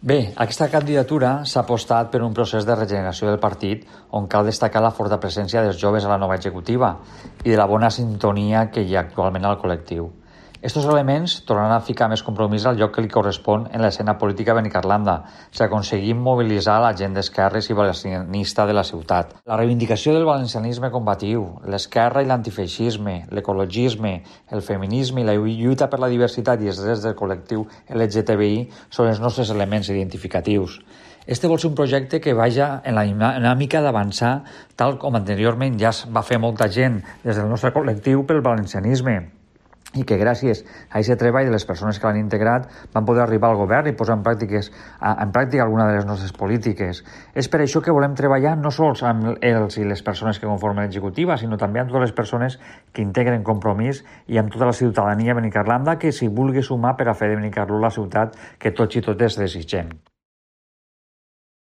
Bé, aquesta candidatura s'ha apostat per un procés de regeneració del partit on cal destacar la forta presència dels joves a la nova executiva i de la bona sintonia que hi ha actualment al col·lectiu. Estos elements tornaran a ficar més compromís al lloc que li correspon en l'escena política benicarlanda, si aconseguim mobilitzar la gent d'esquerres i valencianista de la ciutat. La reivindicació del valencianisme combatiu, l'esquerra i l'antifeixisme, l'ecologisme, el feminisme i la lluita per la diversitat i els drets del col·lectiu LGTBI són els nostres elements identificatius. Este vol ser un projecte que vaja en la dinàmica d'avançar tal com anteriorment ja va fer molta gent des del nostre col·lectiu pel valencianisme, i que gràcies a aquest treball de les persones que l'han integrat van poder arribar al govern i posar en pràctica alguna de les nostres polítiques. És per això que volem treballar no sols amb els i les persones que conformen l'executiva, sinó també amb totes les persones que integren Compromís i amb tota la ciutadania benicarlanda que s'hi vulgui sumar per a fer de Benicarló la ciutat que tots i totes desitgem.